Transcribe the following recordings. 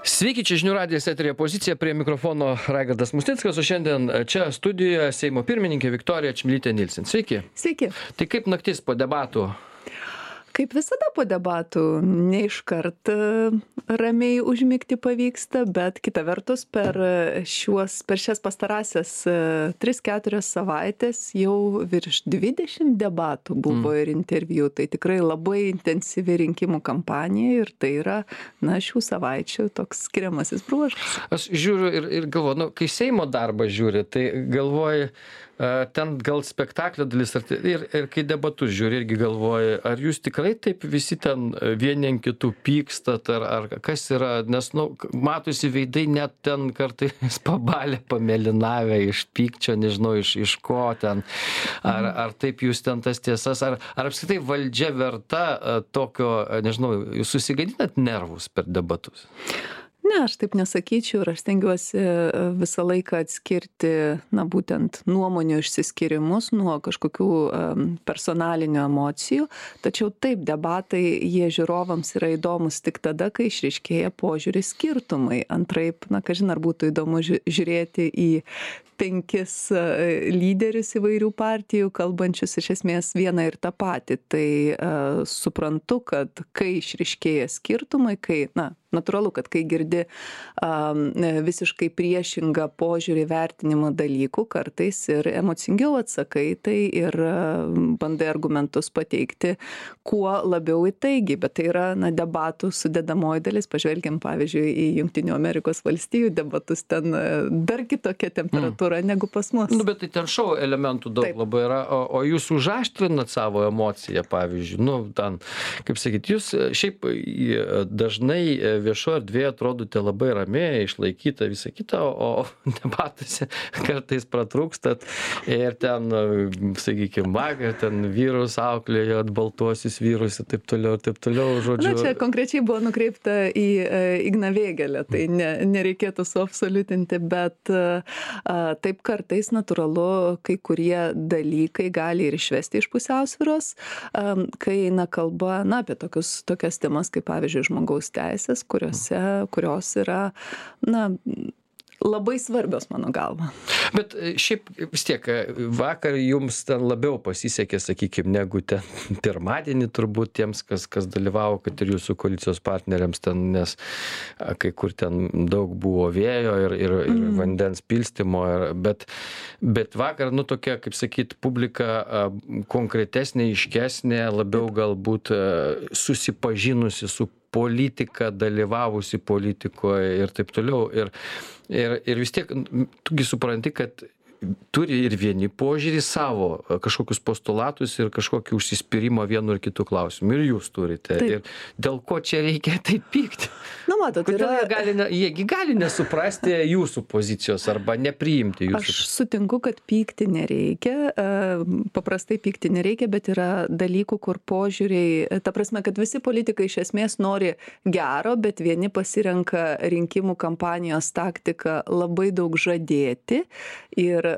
Sveiki, čia žinių radijas eterija Pozicija, prie mikrofono Raigardas Musnickas, o šiandien čia studijoje Seimo pirmininkė Viktorija Čmilytė Nilsen. Sveiki. Sveiki. Tai kaip naktis po debatų? Kaip visada po debatų, ne iškart ramiai užmigti pavyksta, bet kita vertus per šias pastarąsias 3-4 savaitės jau virš 20 debatų buvo ir interviu. Tai tikrai labai intensyvi rinkimų kampanija ir tai yra, šių savaičių toks skiriamasis bruožas. Aš žiūriu ir galvoju, kai Seimo darbą žiūri, tai galvoju, ten gal spektaklio dalis ir kai debatus žiūri irgi galvoji, ar jūs tikrai taip visi ten vieni ant kitų pykstat, ar kas yra, nes, matosi veidai net ten kartais pabalę, pamėlynavę iš pykčio, nežinau, iš ko ten, ar taip jūs ten tas tiesas, ar apskritai valdžia verta tokio, nežinau, jūs susigadinat nervus per debatus? Ne, aš taip nesakyčiau ir aš stengiuosi visą laiką atskirti, būtent nuomonių išsiskyrimus nuo kažkokių personalinių emocijų. Tačiau taip, debatai, jie žiūrovams yra įdomus tik tada, kai išryškėja požiūrį skirtumai. Antraip, kažin ar būtų įdomu žiūrėti į 5 lyderius įvairių partijų, kalbančius iš esmės vieną ir tą patį. Tai suprantu, kad kai išryškėja skirtumai, natūralu, kad kai girdi visiškai priešingą požiūrį vertinimo dalykų, kartais ir emocingiau atsakai, tai ir bandai argumentus pateikti kuo labiau įtaigiai, bet tai yra debatų sudedamoji dalis. Pažvelgiam, pavyzdžiui, į Jungtinių Amerikos valstijų debatus, ten dar kitokia temperatūra negu pas mus. Bet tai ten šou elementų daug labai yra, o jūs užaštrinat savo emociją, pavyzdžiui, ten, kaip sakyt, jūs šiaip dažnai viešoje erdvėje atrodote labai ramiai, išlaikyta visą kitą, o debatuose kartais pratrūkstat ir ten, sakykime, vakar ten vyrus auklėjot, baltuosius vyrus ir taip toliau, žodžiu. Čia konkrečiai buvo nukreipta į Igną Vėgėlę, tai nereikėtų suabsoliutinti, bet taip kartais natūralu, kai kurie dalykai gali ir išvesti iš pusiausvyros, kai eina kalba apie tokias temas kaip, pavyzdžiui, žmogaus teisės, kurios yra, labai svarbios mano galva. Bet šiaip vis tiek, vakar jums ten labiau pasisekė, sakykime, negu ten pirmadienį turbūt tiems, kas dalyvavo, kad ir jūsų koalicijos partneriams ten, nes kai kur ten daug buvo vėjo ir vandens pilstymo, bet vakar, tokia, kaip sakyt, publika konkretesnė, aiškesnė, labiau galbūt susipažinusi su politika, dalyvavusi politikoje ir taip toliau. Ir vis tiek, tugi supranti, kad turi ir vieni požiūrį savo, kažkokius postulatus ir kažkokį užsispyrimą vienu ir kitų klausimų. Ir jūs turite. Taip. Ir dėl ko čia reikia taip pykti? Matot, jiegi gali nesuprasti jūsų pozicijos arba nepriimti jūsų. Aš sutinku, kad pykti nereikia, paprastai pykti nereikia, bet yra dalykų, kur požiūriai, ta prasme, kad visi politikai iš esmės nori gero, bet vieni pasirenka rinkimų kampanijos taktiką labai daug žadėti ir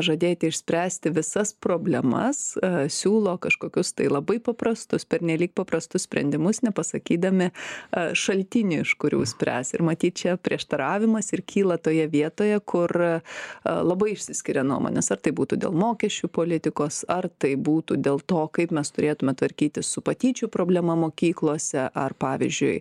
žadėti išspręsti visas problemas, siūlo kažkokius tai labai paprastus, pernelyg paprastus sprendimus, nepasakydami šaltinį, iš kurių spręs. Ir matyt, čia prieštaravimas ir kyla toje vietoje, kur labai išsiskiria nuomonės. Ar tai būtų dėl mokesčių politikos, ar tai būtų dėl to, kaip mes turėtume tvarkytis su patyčių problema mokyklose, ar pavyzdžiui,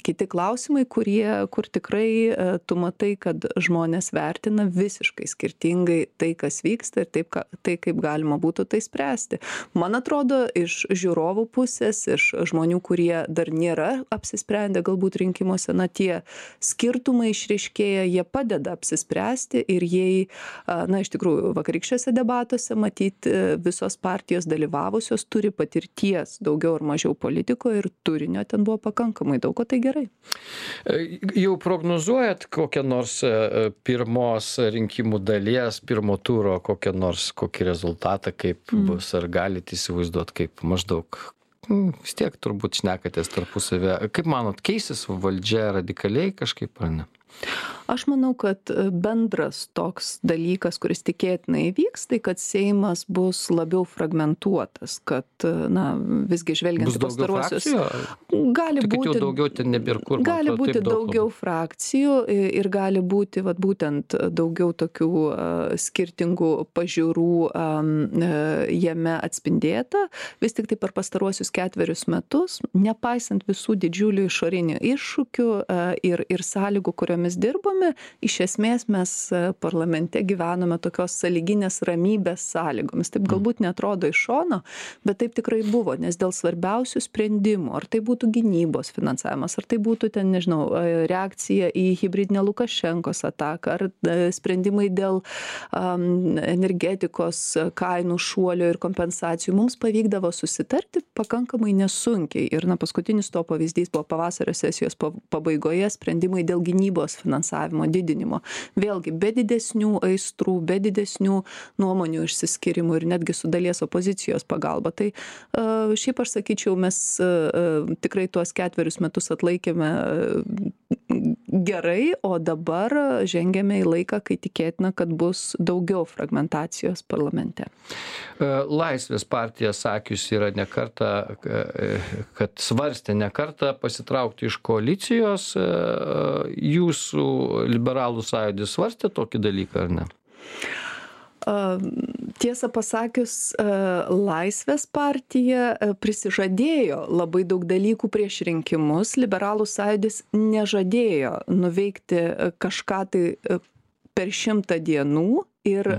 kiti klausimai, kur tikrai tu matai, kad žmonės vertina visiškai skirtingai tai, kas vyksta ir tai, kaip galima būtų tai spręsti. Man atrodo, iš žiūrovų pusės, iš žmonių, kurie dar nėra apsisprendę galbūt rinkimuose, tie skirtumai išryškėja, jie padeda apsispręsti ir jei, iš tikrųjų, vakarykščiuose debatuose, matyt, visos partijos dalyvavusios turi patirties daugiau ar mažiau politikoje ir turinio ten buvo pakankamai daug, o tai gerai. Jau prognozuojat kokią nors pirmos rinkimų dalies, pirmo turo kokį rezultatą, kaip bus, ar galite įsivaizduoti, kaip maždaug, vis tiek turbūt šnekatės tarpusavę. Kaip manot, keisis valdžia radikaliai kažkaip, ar ne? Aš manau, kad bendras toks dalykas, kuris tikėtinai įvyks, tai kad Seimas bus labiau fragmentuotas, kad, na, visgi žvelgiant į pastaruosius. Gali būti daugiau ten nebėr kur. Gali būti daugiau frakcijų ir gali būti vat, būtent daugiau tokių skirtingų pažiūrų jame atspindėta. Vis tik tai per pastaruosius 4 metus, nepaisant visų didžiulių išorinių iššūkių ir sąlygų, kuriomis dirbame, iš esmės mes parlamente gyvenome tokios sąlyginės ramybės sąlygomis. Taip galbūt neatrodo iš šono, bet taip tikrai buvo, nes dėl svarbiausių sprendimų, ar tai būtų gynybos finansavimas, ar tai būtų ten, nežinau, reakcija į hibridinę Lukašenkos ataką, ar sprendimai dėl energetikos kainų šuolio ir kompensacijų, mums pavykdavo susitarti pakankamai nesunkiai. Ir paskutinis to pavyzdys buvo pavasario sesijos pabaigoje sprendimai dėl gynybos finansavimo didinimo. Vėlgi, be didesnių aistrų, be didesnių nuomonių išsiskyrimų ir netgi su dalies opozicijos pagalba. Tai šiaip aš sakyčiau, mes tikrai tuos 4 metus atlaikėme gerai, o dabar žengėme į laiką, kai tikėtina, kad bus daugiau fragmentacijos parlamente. Laisvės partija sakius yra ne kartą, kad svarstė ne kartą pasitraukti iš koalicijos. Jūsų liberalų sąjūdis svarstė tokį dalyką, ar ne? Tiesą pasakius, Laisvės partija prisižadėjo labai daug dalykų prieš rinkimus. Liberalų sąjūdis nežadėjo nuveikti kažką tai per 100 dienų ir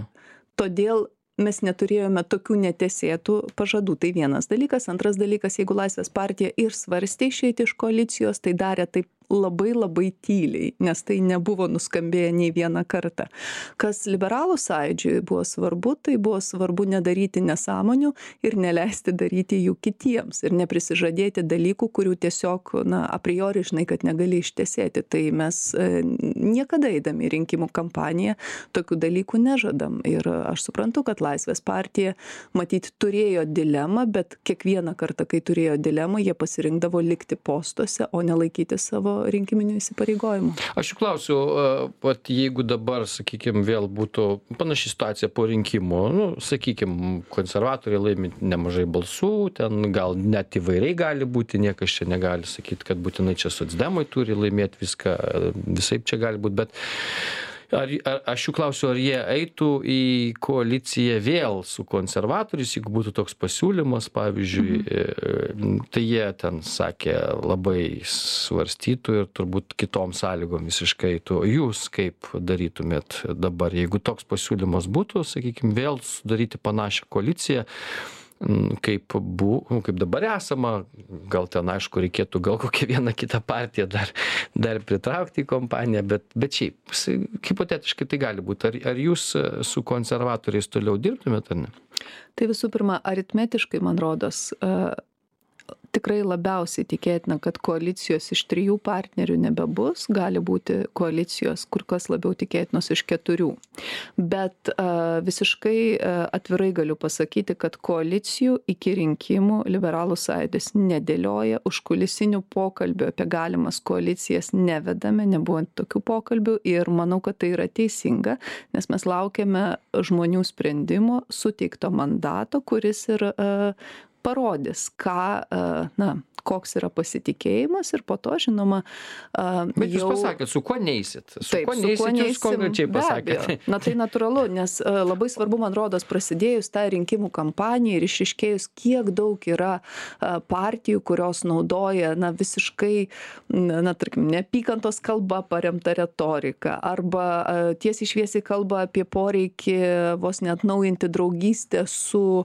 todėl mes neturėjome tokių netesėtų pažadų. Tai vienas dalykas. Antras dalykas, jeigu Laisvės partija ir svarstė išeiti iš koalicijos, tai darė taip labai tyliai, nes tai nebuvo nuskambėję nei vieną kartą. Kas liberalų sąjūdžiui buvo svarbu, tai buvo svarbu nedaryti nesąmonių ir neleisti daryti jų kitiems ir neprisižadėti dalykų, kurių tiesiog, a priori žinai, kad negali ištesėti. Tai mes niekada eidami į rinkimų kampaniją tokių dalykų nežadam. Ir aš suprantu, kad Laisvės partija matyt turėjo dilemą, bet kiekvieną kartą, kai turėjo dilemą, jie pasirinkdavo likti postuose, o nelaikyti savo rinkiminių įsipareigojimų. Aš jų klausiu, jeigu dabar, sakykime, vėl būtų panaši situacija po rinkimų, sakykime, konservatoriai laimi nemažai balsų, ten gal net įvairiai gali būti, niekas čia negali sakyti, kad būtinai čia socdemai turi laimėti viską, visaip čia gali būti, bet aš jų klausiu, ar jie eitų į koaliciją vėl su konservatoriais, jeigu būtų toks pasiūlymas, pavyzdžiui, tai jie ten sakė labai svarstytų ir turbūt kitom sąlygom visiškai eitų. Jūs kaip darytumėt dabar, jeigu toks pasiūlymas būtų, sakykime, vėl sudaryti panašią koaliciją, kaip dabar esama, gal ten aišku reikėtų gal kokią vieną kitą partiją dar pritraukti į kompaniją, bet šiaip, hipotetiškai tai gali būti. Ar jūs su konservatoriais toliau dirbtumėt, ar ne? Tai visų pirma, aritmetiškai, man rodos, tikrai labiausiai tikėtina, kad koalicijos iš 3 partnerių nebebus, gali būti koalicijos kur kas labiau tikėtinos iš 4. Bet visiškai atvirai galiu pasakyti, kad koalicijų iki rinkimų liberalų sąjūdis nedėlioja, užkulisinių pokalbių apie galimas koalicijas nevedame, nebuvo tokių pokalbių ir manau, kad tai yra teisinga, nes mes laukiame žmonių sprendimo, suteikto mandato, kuris ir parodys, koks yra pasitikėjimas ir po to, žinoma, Bet jūs pasakėt, su kuo neisit? Su kuo neisit, jūs konkrečiai pasakėt? Na tai natūralu, nes labai svarbu, man rodos, prasidėjus tą rinkimų kampaniją ir išiškėjus, kiek daug yra partijų, kurios naudoja visiškai, tarkim, neapykantos kalba paremta retorika arba tiesiai šviesiai kalba apie poreikį vos net naujinti draugystę su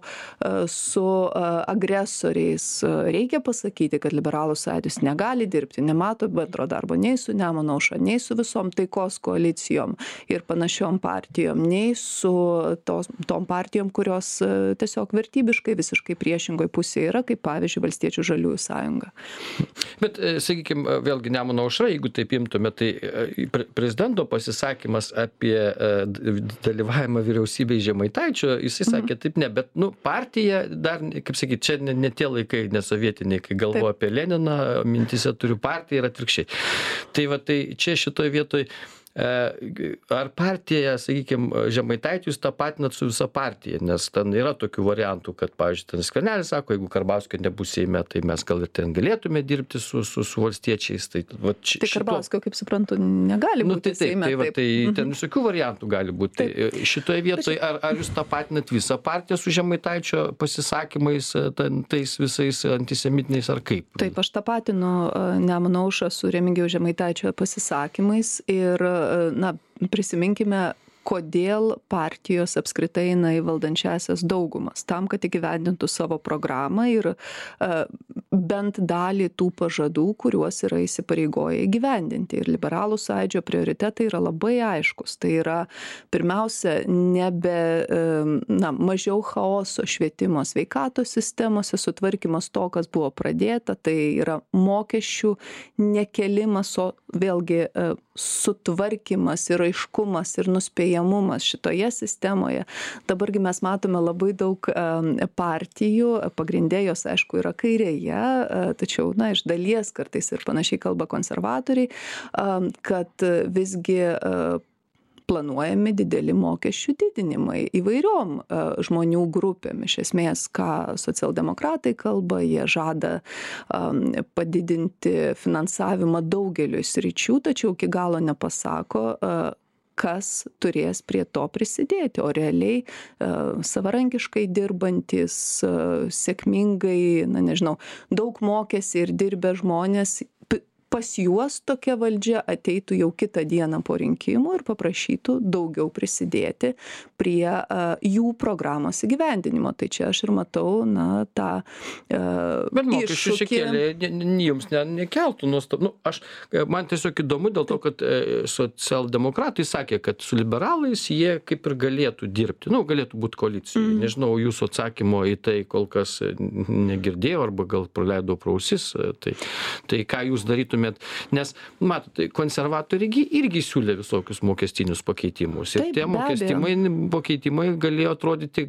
agresoriais. Reikia pasakyti, kad liberalų sąjūdis negali dirbti, nemato bendro darbo nei su Nemuno aušra, nei su visom taikos koalicijom ir panašiom partijom, nei su tom partijom, kurios tiesiog vertybiškai visiškai priešingoj pusėje yra, kaip pavyzdžiui Valstiečių žaliųjų sąjunga. Bet, sakykime, vėlgi Nemuno aušra, jeigu taip imtume, tai prezidento pasisakymas apie dalyvavimą vyriausybėje Žemaitaičio, jisai sakė taip ne, bet partija dar, kaip sakyti, čia ne tie laikai, nesovietiniai, kai galvoju apie Leniną, mintise turiu partiją ir atvirkščiai. Tai čia šitoj vietoj ar partija, sakykime, Žemaitaitį jūs tapatinat su visa partija, nes ten yra tokių variantų, kad, pavyzdžiui, ten Skvernelis sako, jeigu Karbauskio nebus Seime, tai mes gal ir ten galėtume dirbti su valstiečiais. Tai Karbauskio, kaip suprantu, negali būti Seime. Tai ten visokių variantų gali būti. Tai šitoje vietoje, ar jūs tapatinat visą partiją su Žemaitaičio pasisakymais, tais visais antisemitiniais, ar kaip? Taip, aš tapatinu Nemuno aušrą su Remigijaus Žemaitaičio pasisakymais ir, prisiminkime, kodėl partijos apskritai eina į valdančiąsias daugumas. Tam, kad įgyvendintų savo programą ir bent dalį tų pažadų, kuriuos yra įsipareigoję įgyvendinti. Ir Liberalų sąjūdžio prioritetai yra labai aiškus. Tai yra pirmiausia, mažiau chaoso švietimo sveikatos sistemose, sutvarkymas to, kas buvo pradėta, tai yra mokesčių nekelimas, o vėlgi sutvarkymas ir aiškumas ir nuspėjamumas šitoje sistemoje. Dabargi mes matome labai daug partijų, pagrindė jos, aišku, yra kairėje, tačiau, iš dalies kartais ir panašiai kalba konservatoriai, kad visgi planuojami dideli mokesčių didinimai įvairiom žmonių grupėm. Iš esmės, ką socialdemokratai kalba, jie žada padidinti finansavimą daugeliu sričių, tačiau iki galo nepasako, kas turės prie to prisidėti, o realiai savarankiškai dirbantis, sėkmingai, daug mokėsi ir dirbę žmonės, pas juos tokia valdžia ateitų jau kitą dieną po rinkimų ir paprašytų daugiau prisidėti prie jų programos įgyvendinimo. Tai čia aš ir matau, tą bet mokesčių čia kėlė, jums nekeltų nuostabų. Man tiesiog įdomu dėl to, kad socialdemokratai sakė, kad su liberalais jie kaip ir galėtų dirbti, galėtų būti koalicijai. Nežinau, jūsų atsakymo į tai kol kas negirdėjau arba gal praleidau pro ausis. Tai ką jūs darytumėt? Nes, matote, konservatoriai irgi siūlė visokius mokestinius pakeitimus. Ir tie pakeitimai galėjo atrodyti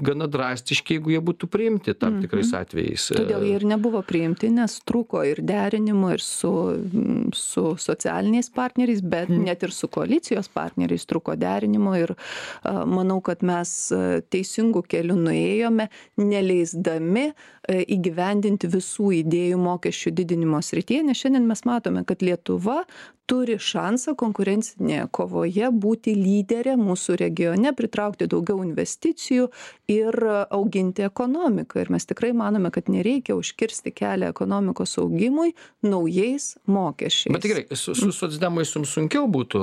gana drastiški, jeigu jie būtų priimti tam tikrais atvejais. Todėl jie ir nebuvo priimti, nes trūko ir derinimo ir su socialiniais partneriais, bet net ir su koalicijos partneriais trūko derinimo ir manau, kad mes teisingų kelių nuėjome, neleisdami įgyvendinti visų idėjų mokesčių didinimo srityje, nes šiandien mes matome, kad Lietuva turi šansą konkurencinėje kovoje būti lyderė mūsų regione, pritraukti daugiau investicijų ir auginti ekonomiką. Ir mes tikrai manome, kad nereikia užkirsti kelią ekonomikos augimui naujais mokesčiais. Bet tikrai, su socdemais jums sunkiau būtų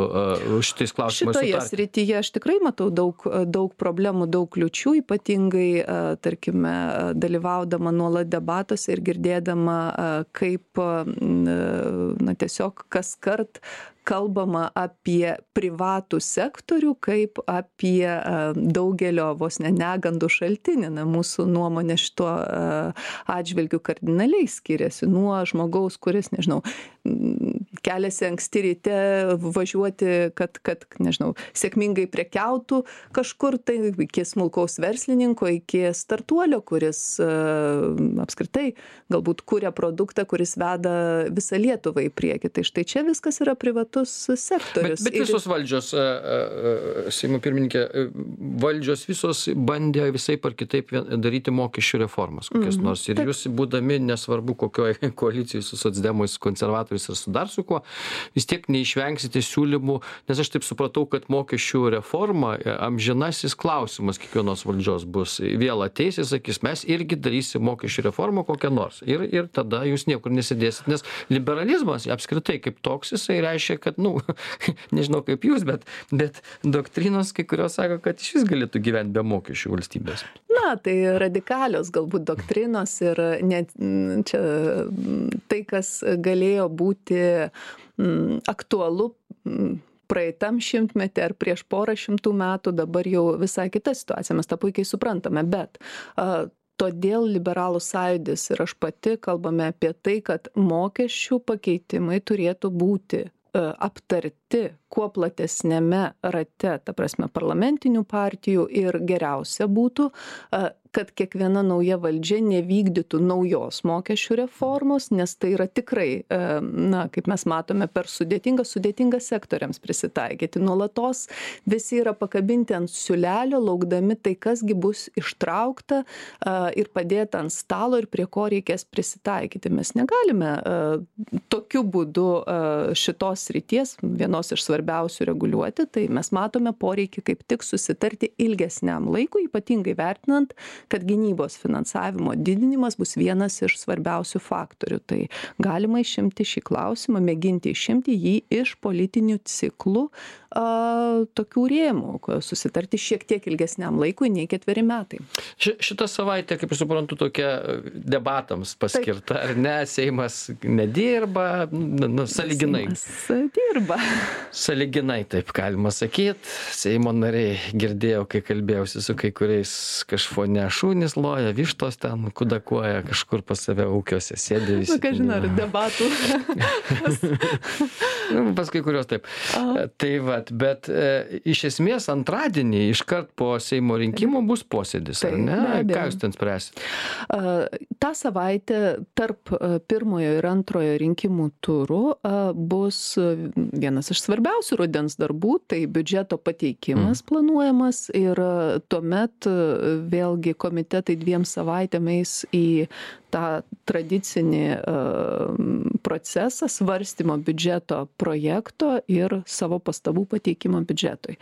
šitais klausimais sutarti? Šitoje srityje aš tikrai matau daug problemų, daug kliučių, ypatingai, tarkime, dalyvaudama nuolat debatuose ir girdėdama, kaip tiesiog kaskart kalbama apie privatų sektorių kaip apie daugelio vos negandų šaltinį. Mūsų nuomonė šituo atžvilgiu kardinaliai skiriasi nuo žmogaus, kuris, keliasi anksti ryte važiuoti, kad sėkmingai prekiautų kažkur, tai iki smulkaus verslininko, iki startuolio, kuris apskritai galbūt kuria produktą, kuris veda visą Lietuvą į priekį. Tai štai čia viskas yra privatus sektorius. Bet visos valdžios, Seimo pirmininkė, valdžios visos bandė visai par kitaip daryti mokesčių reformas kokias nors. Ir jūs, būdami nesvarbu kokioje koalicijoje su socdemais, konservatoriais ir su dar su kuo, vis tiek neišvengsite siūlymų, nes aš taip supratau, kad mokesčių reforma amžinasis klausimas kiekvienos valdžios bus. Vėl ateis ir sakys, mes irgi darysim mokesčių reformą kokią nors. Ir tada jūs niekur nesidėsit, nes liberalizmas apskritai kaip toks, jisai reiškia, kad, nežinau kaip jūs, bet doktrinos kai kurios sako, kad iš vis galėtų gyventi be mokesčių valstybės. Tai radikalios galbūt doktrinos ir net čia tai, kas galėjo būti aktualu praeitam šimtmetį ar prieš porą šimtų metų, dabar jau visai kita situacija, mes tą puikiai suprantame, bet todėl Liberalų sąjūdis ir aš pati kalbame apie tai, kad mokesčių pakeitimai turėtų būti aptarti kuo platesnėme rate, ta prasme parlamentinių partijų ir geriausia būtų kad kiekviena nauja valdžia nevykdytų naujos mokesčių reformos, nes tai yra tikrai, na, kaip mes matome, per sudėtinga sektoriams prisitaikyti. Nuolatos visi yra pakabinti ant siūlelio, laukdami tai, kasgi bus ištraukta ir padėta ant stalo ir prie ko reikės prisitaikyti. Mes negalime tokiu būdu šitos srities, vienos iš svarbiausių, reguliuoti, tai mes matome poreikį kaip tik susitarti ilgesniam laikui, ypatingai vertinant, kad gynybos finansavimo didinimas bus vienas iš svarbiausių faktorių. Tai galima išimti šį klausimą, mėginti išimti jį iš politinių ciklų tokių rėmų, susitarti šiek tiek ilgesniam laikui nei 4 metai. Šitą savaitę, kaip aš suprantu, tokia debatams paskirta, ar ne? Seimas nedirba, sąlyginai. Seimas dirba. Sąlyginai, taip galima sakyti. Seimo nariai, girdėjau, kai kalbėjausi su kai kuriais kažfone šunys loja, vištos ten kudakuoja, kažkur pas save ūkiuose sėdė visi. Ką žinau, ar debatų. Pas kai kurios taip. Tai vat, bet iš esmės antradienį iškart po Seimo rinkimų bus posėdis, ar ne? Ką jūs ten spręsit? Ta savaitė tarp pirmojo ir antrojo rinkimų turų bus vienas iš svarbiausių rudens darbų, tai biudžeto pateikimas planuojamas ir tuomet vėlgi komitetai 2 savaitėm eis į tą tradicinį procesą svarstymo biudžeto projekto ir savo pastabų pateikimo biudžetui.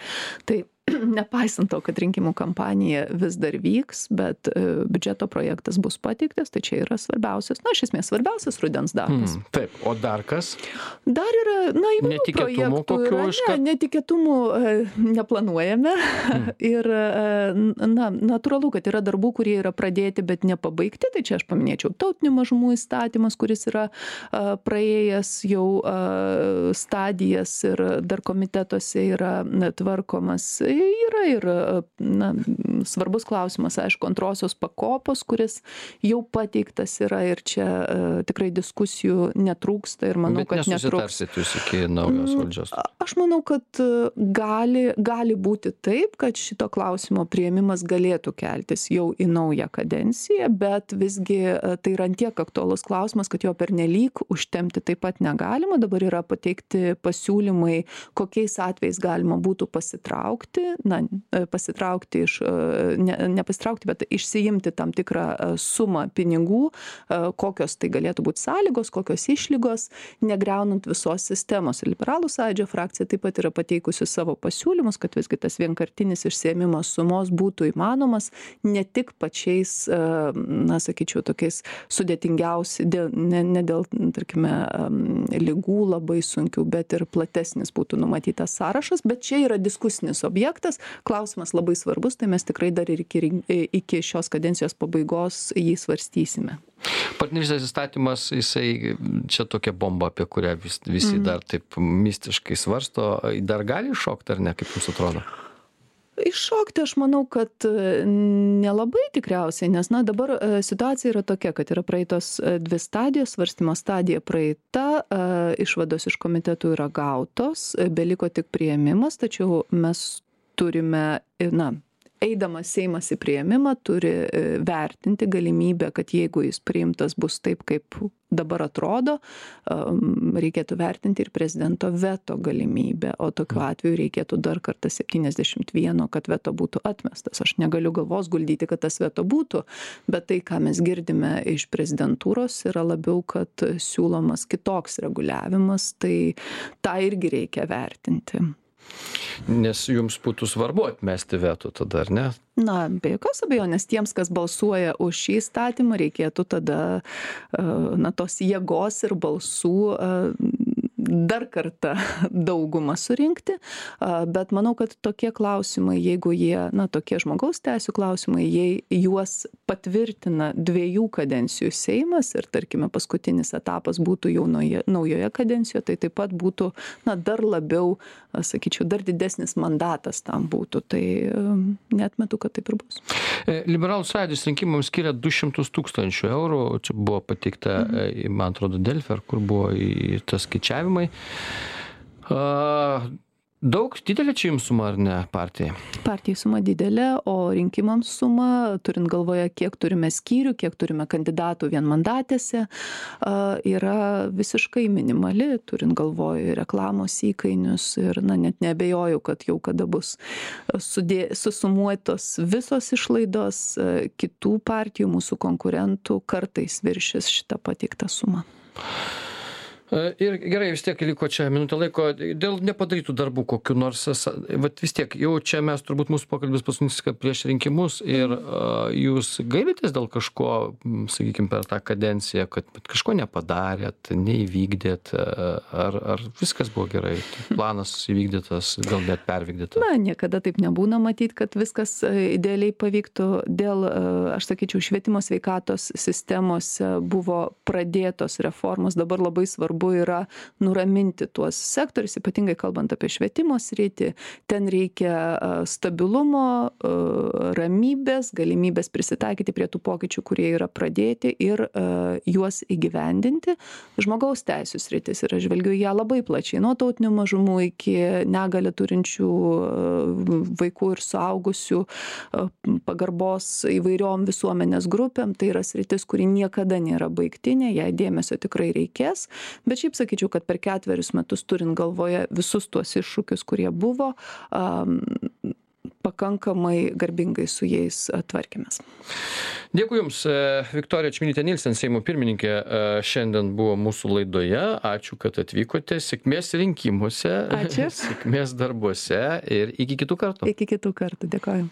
Tai nepaisant to, kad rinkimų kampanija vis dar vyks, bet biudžeto projektas bus pateiktas, tai čia yra svarbiausias, iš esmės svarbiausias rudens darbas. Taip, o dar kas? Dar yra, įvairių projektų. Netikėtumų neplanuojame. Ir, natūralu, kad yra darbų, kurie yra pradėti, bet nepabaigti, tai čia aš paminėčiau tautinių mažumų įstatymas, kuris yra praėjęs jau stadijas ir dar komitetuose yra tvarkomas. Yra ir svarbus klausimas, aišku, antrosios pakopos, kuris jau pateiktas yra ir čia tikrai diskusijų netrūksta ir manau, kad netrūks. Bet nesusitarsit jūs iki naujos valdžios? Aš manau, kad gali būti taip, kad šito klausimo priėmimas galėtų keltis jau į naują kadenciją, bet visgi tai yra tiek aktualus klausimas, kad jo pernelyg užtempti taip pat negalima. Dabar yra pateikti pasiūlymai, kokiais atvejais galima būtų pasitraukti iš, nepasitraukti, bet išsiimti tam tikrą sumą pinigų, kokios tai galėtų būti sąlygos, kokios išlygos, negriaunant visos sistemos. Liberalų sąjūdžio frakcija taip pat yra pateikusi savo pasiūlymus, kad visgi tas vienkartinis išsiėmimas sumos būtų įmanomas ne tik pačiais, sakyčiau, tokiais sudėtingiausi, ne dėl, tarkime, ligų labai sunkių, bet ir platesnis būtų numatytas sąrašas, bet čia yra diskusinis objektas. Klausimas labai svarbus, tai mes tikrai dar ir iki šios kadencijos pabaigos jį svarstysime. Partnerystės įstatymas, jisai čia tokia bomba, apie kurią visi dar taip mistiškai svarsto, dar gali iššokti ar ne, kaip jums atrodo? Iššokti aš manau, kad nelabai tikriausiai, nes dabar situacija yra tokia, kad yra praeitos 2 stadijos, svarstymo stadija praeita, išvados iš komitetų yra gautos, beliko tik priėmimas, tačiau mes turime, eidamas Seimas į priėmimą, turi vertinti galimybę, kad jeigu jis priimtas bus taip, kaip dabar atrodo, reikėtų vertinti ir prezidento veto galimybę, o tokiu atveju reikėtų dar kartą 71, kad veto būtų atmestas. Aš negaliu galvos guldyti, kad tas veto būtų, bet tai, ką mes girdime iš prezidentūros, yra labiau, kad siūlomas kitoks reguliavimas, tai tą irgi reikia vertinti. Nes jums būtų svarbu atmesti veto tada, ar ne? Be jokios abejonės tiems, kas balsuoja už šį įstatymą, reikėtų tada tos jėgos ir balsų dar kartą daugumą surinkti, bet manau, kad tokie klausimai, jeigu jie, tokie žmogaus teisių klausimai, jei juos patvirtina 2 kadencijų Seimas ir, tarkime, paskutinis etapas būtų jau naujoje kadencijoje, tai taip pat būtų, dar labiau, sakyčiau, dar didesnis mandatas tam būtų, tai neatmetu, kad taip ir bus. Liberalų sąjūdis rinkimams skiria 200 000 eurų, čia buvo pateikta, man atrodo, Delfi, ar kur buvo į tas skaičiavimai. Daug didelė čia jums suma ar ne partijai? Partijai suma didelė, o rinkimams suma, turint galvoje, kiek turime skyrių, kiek turime kandidatų vienmandatėse, yra visiškai minimali, turint galvoje reklamos įkainius ir net neabejoju, kad jau kada bus susumuotos visos išlaidos, kitų partijų, mūsų konkurentų kartais viršis šitą pateiktą sumą. Ir gerai, vis tiek liko čia minutė laiko dėl nepadarytų darbų kokių nors, vat vis tiek jau čia mes turbūt mūsų pokalbis paskutinis prieš rinkimus ir jūs gailitės dėl kažko, sakykime, per tą kadenciją, kad kažko nepadarėt, neįvykdėt, ar viskas buvo gerai, planas įvykdytas, gal net pervykdytas? Niekada taip nebūna matyti, kad viskas idealiai pavyktų. Dėl, aš sakyčiau, švietimo sveikatos sistemose buvo pradėtos reformos, dabar labai svarbu yra nuraminti tuos sektorius, ypatingai kalbant apie švietimo sritį. Ten reikia stabilumo, ramybės, galimybės prisitaikyti prie tų pokyčių, kurie yra pradėti ir juos įgyvendinti. Žmogaus teisų sritis ir aš žvelgiu ją labai plačiai, nuo tautinių mažumų iki negalią turinčių vaikų ir suaugusių, pagarbos įvairiom visuomenės grupėm. Tai yra sritis, kuri niekada nėra baigtinė, jai dėmesio tikrai reikės. Bet šiaip sakyčiau, kad per 4 metus turint galvoje visus tuos iššūkius, kurie buvo, pakankamai garbingai su jais tvarkėmės. Dėkui Jums, Viktorija Čmilytė Nilsen, Seimo pirmininkė, šiandien buvo mūsų laidoje. Ačiū, kad atvykote. Sėkmės rinkimuose. Ačiū. Sėkmės darbuose ir iki kitų kartų. Iki kitų kartų. Dėkoju.